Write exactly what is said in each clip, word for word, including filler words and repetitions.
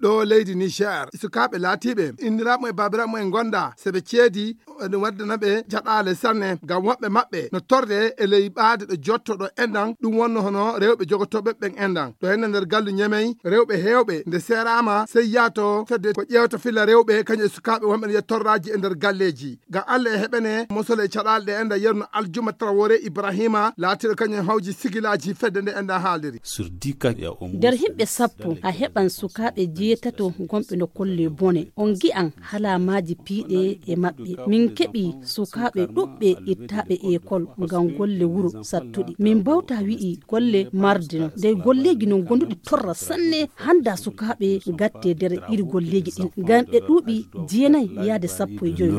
ɗo leydi Niger, sukaaɓe laatiiɓe inniraaɓe mum e baabiraaɓe mum en ngonda, so ɓe ceedi, ene waddana ɓe caɗaale sanne, ngam woɓɓe maɓɓe no torre e ley ɓaade ɗo jottoɗo enɗan, ɗum wonno hono rewɓe jogotooɓe ɓen enɗan. Ɗo henne nder gallu Ñemey, rewɓe heewɓe nde seeraama, sey yaato fedde ko ƴeewta filla rewɓe, kañum e sukaaɓe wonɓe no yiya torraaji e nder galleeji. Ngam Allah e heɓene mosole e caɗaale ɗe enɗan, yerno Aljuma Traoré Ibrahima, laatiiɗo kañum hawji sigilaaji fedde nde enɗan haaliri. Sur dix cas, il y a au moins nder yimɓe sappo, a heɓan sukaaɓe jeetato gonɓe no kolle bone. On ngi'an halaamaaji piiɗe e maɓɓe. Min keɓi sukaaɓe ɗuɓɓe ittaaɓe ekol ngam golle wuro sattuɗi. Min mbawta wi'i golle marde non. Dey golleeji non gonduɗi torra sanne, handa sukaaɓe gatte nder iri golleeji ɗin. Ngam ɓe ɗuuɓi jeenay yaade sappo e joy.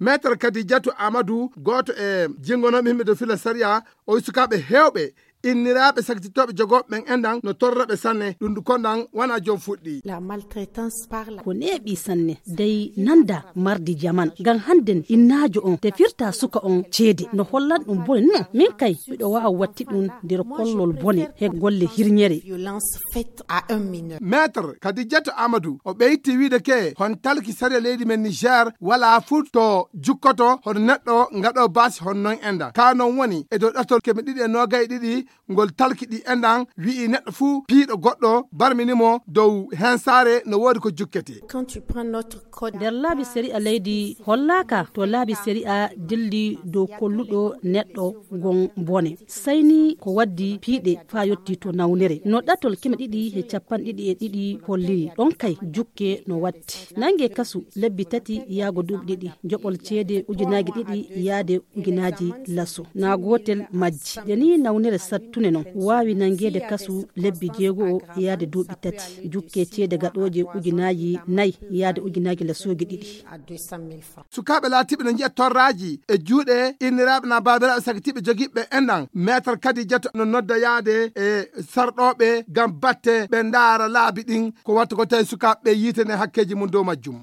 Maître Kadijatu Amadou, gooto e jingonooɓe yimɓe dow fila sariya, o wi sukaaɓe heewɓe inniraaɓe sakititooɓe jogooɓe ɓen enɗan no torra ɓe sanne, ɗum ɗum konɗan wona joom fuɗɗi. La maltraitance par la ko neeɓi sanne, dey nanda mardi jaman. Ngam hannden innaajo on tefirta suka on ceede, no hollan ɗum bone non. Min kay, miɗo waawa watti ɗum nder kollol bone he golle hirñere. Violence faite à un mineur. Maître Kadijatu Amadou, o ɓeyti wiide ke hon talki sariya leydi men Niger, wala fuu to jukkoto hono neɗɗo ngaɗo baasi hon non enɗan. Ka non woni e dow ɗatol keme ɗiɗi e noogay ɗiɗi, ngol talki ɗi enɗan, wi'i neɗɗo fuu piiɗo goɗɗo, barmini mo dow hensaare, no woodi ko jukkete. Quand tu prends notre code. Nder laabi sariya leydi hollaaka to laabi sariya dilli dow kolluɗo neɗɗo gon bone. Sayni ko waddi piiɗe faa yotti to nawnere. No ɗatol keme ɗiɗi e capanɗe ɗiɗi e ɗiɗi holliri, ɗon kay jukke no watti. Nange kasu lebbi tati yaago duuɓi ɗiɗi. Joɓol ceede ujunaaji ɗiɗi yaade ujunaaji laso. Naa gootel majji. Nde nii nawnere sattune non, waawi nangeede kasu lebbi jeego'o yaade duuɓi tati. Jukke ceede gaɗooje ujunaaji nayi yaade ujunaaji lasooji ɗiɗi. Sukaaɓe laatiiɓe no njiya torraaji e juuɗe inniraaɓe naa baabiraaɓe sakitiiɓe jogiiɓe enɗan. Maître Kadijatu no nodda yaade e sarɗooɓe ngam batte ɓe ndaara laabi ɗin. Ko watta ko tawi sukaaɓe ɓe yiitane hakkeeji mum dow majjum.